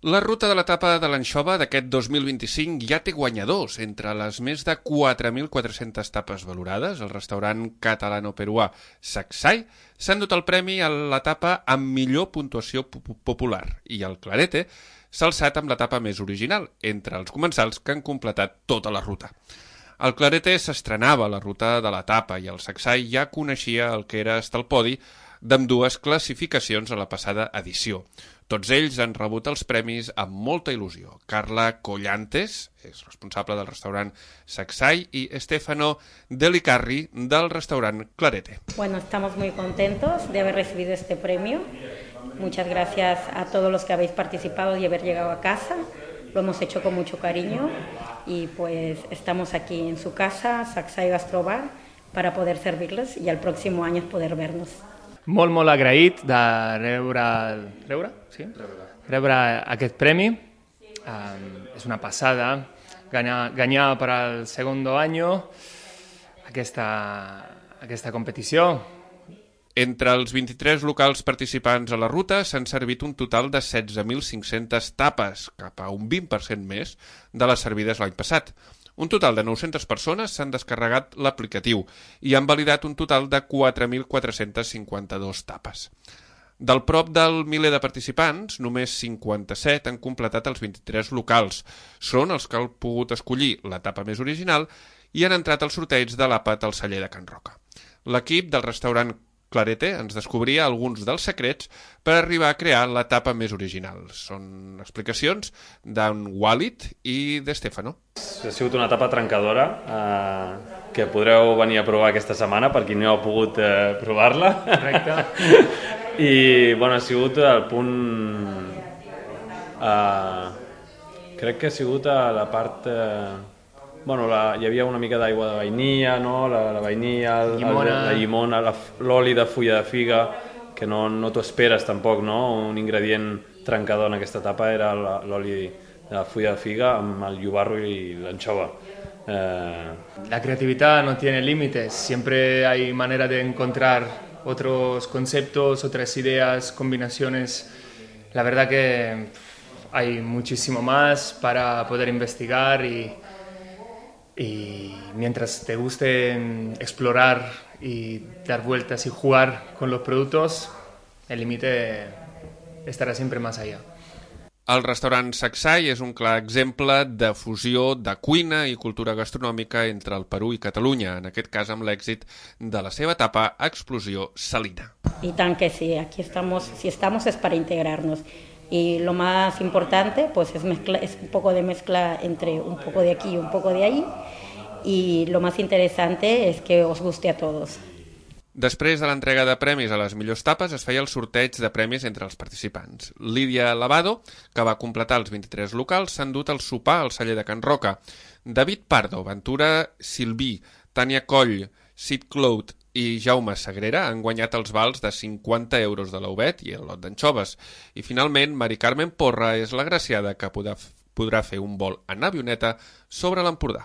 La ruta de l'etapa de l'anxova d'aquest 2025 ja té guanyadors. Entre les més de 4.400 tapes valorades, el restaurant catalano-peruà Sacsay s'ha endut el premi a l'etapa amb millor puntuació popular i el Clarete s'ha alçat amb l'etapa més original, entre els comensals que han completat tota la ruta. El Clarete s'estrenava a la ruta de l'etapa i el Sacsay ja coneixia el que era estar al podi d'ambdues classificacions a la passada edició. Tots ells han rebut els premis amb molta il·lusió. Carla Collantes és responsable del restaurant Sacsay y Stefano Delicarri del restaurant Clarete. Bueno, estamos muy contentos de haber recibido este premio. Muchas gracias a todos los que habéis participado y haber llegado a casa. Lo hemos hecho con mucho cariño y pues estamos aquí en su casa, Sacsay Gastrobar, para poder servirles y el próximo año poder vernos. Molt agraït de rebre aquest premi. És una passada guanyar per al segon any aquesta competició. Entre els 23 locals participants a la ruta s'han servit un total de 16.500 tapes, cap a un 20% més de les servides l'any passat. Un total de 900 persones s'han descarregat l'aplicatiu i han validat un total de 4.452 tapes. Del prop del miler de participants, només 57 han completat els 23 locals. Són els que han pogut escollir l'etapa més original i han entrat al sorteig de l'àpat al celler de Can Roca. L'equip del restaurant Clarete ens descobria alguns dels secrets per arribar a crear l'etapa més original. Són explicacions d'en Walid i de Stefano. Ha sigut una etapa trencadora que podreu venir a provar aquesta setmana per qui no ha pogut provar-la. Correcte. I bueno, ha sigut el punt... crec que ha sigut a la part... Bueno, hi havia una mica d'aigua de vainilla, no? La vainilla, la llimona, l'oli de fulla de figa, que no t'ho esperes tampoc, no? Un ingredient trencador en aquesta etapa era l'oli de la fulla de figa amb el llobarro i l'anxova. La creatividad no tiene límites, siempre hay manera de encontrar otros conceptos, otras ideas, combinaciones. La verdad que hay muchísimo más para poder investigar y mientras te guste explorar y dar vueltas y jugar con los productos, el límite estará siempre más allá. El restaurant Sacsay és un clar exemple de fusió de cuina i cultura gastronòmica entre el Perú i Catalunya, en aquest cas amb l'èxit de la seva etapa Explosió Salina. Y tan que sí, aquí estamos, si estamos es para integrarnos. Y lo más importante pues es un poco de mezcla entre un poco de aquí y un poco de ahí, y lo más interesante es que os guste a todos. Després de l'entrega de premis a les millors tapes es feia el sorteig de premis entre els participants. Lídia Lavado, que va completar els 23 locals, s'ha endut el sopar al celler de Can Roca. David Pardo, Ventura Silví, Tània Coll, Sid Cloud i Jaume Sagrera han guanyat els vals de 50 euros de l'Ouvet i el lot d'anxoves. I finalment, Mari Carmen Porra és l'agraciada que podrà fer un vol en avioneta sobre l'Empordà.